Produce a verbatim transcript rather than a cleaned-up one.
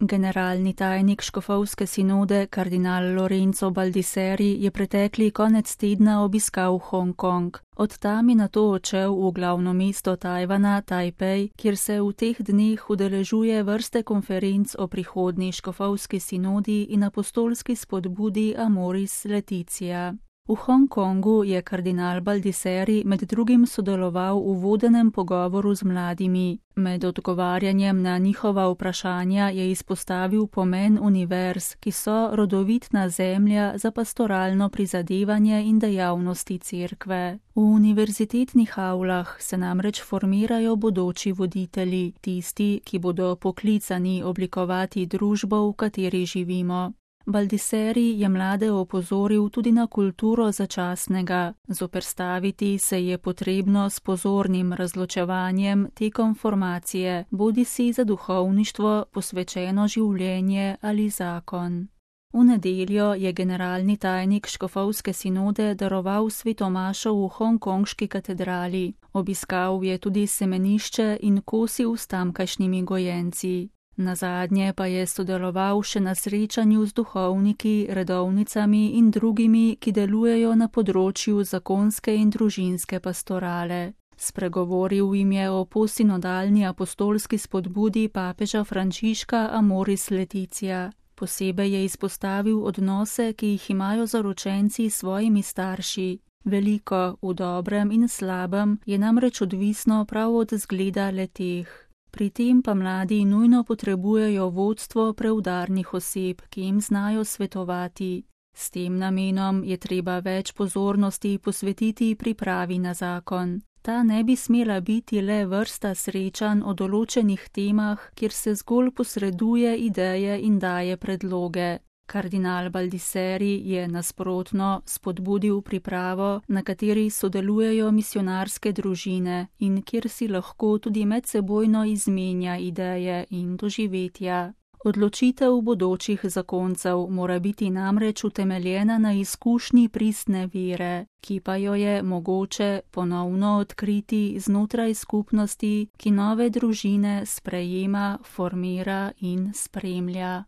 Generalni tajnik škofovske sinode kardinal Lorenzo Baldisseri je pretekli konec tedna obiskal Hongkong. Od tam je nato odšel v glavno mesto Tajvana, Tajpej, kjer se v teh dneh udeležuje vrste konferenc o prihodnji škofovski sinodi in apostolski spodbudi Amoris Laetitia. V Hongkongu je kardinal Baldisseri med drugim sodeloval v vodenem pogovoru z mladimi. Med odgovarjanjem na njihova vprašanja je izpostavil pomen univerz, ki so rodovitna zemlja za pastoralno prizadevanje in dejavnosti cerkve. V univerzitetnih avlah se namreč formirajo bodoči voditelji, tisti, ki bodo poklicani oblikovati družbo, v kateri živimo. Baldisseri je mlade opozoril tudi na kulturo začasnega. Zoperstaviti se je potrebno s pozornim razločevanjem tekom formacije, bodisi za duhovništvo, posvečeno življenje ali zakon. V nedeljo je generalni tajnik škofovske sinode daroval svetomašo v hongkonški katedrali. Obiskal je tudi semenišče in kosil s tamkajšnjimi gojenci. Nazadnje pa je sodeloval še na srečanju z duhovniki, redovnicami in drugimi, ki delujejo na področju zakonske in družinske pastorale. Spregovoril jim je o posinodalni apostolski spodbudi papeža Frančiška Amoris Laetitia. Posebej je izpostavil odnose, ki jih imajo zaročenci s svojimi starši. Veliko, v dobrem in slabem, je namreč odvisno prav od zgleda le-teh. Pri tem pa mladi nujno potrebujejo vodstvo preudarnih oseb, ki jim znajo svetovati. S tem namenom je treba več pozornosti posvetiti pripravi na zakon. Ta ne bi smela biti le vrsta srečanj o določenih temah, kjer se zgolj posreduje ideje in daje predloge. Kardinal Baldisseri je nasprotno spodbudil pripravo, na kateri sodelujejo misionarske družine in kjer si lahko tudi medsebojno izmenja ideje in doživetja. Odločitev bodočih zakoncev mora biti namreč utemeljena na izkušnji pristne vere, ki pa jo je mogoče ponovno odkriti znotraj skupnosti, ki nove družine sprejema, formira in spremlja.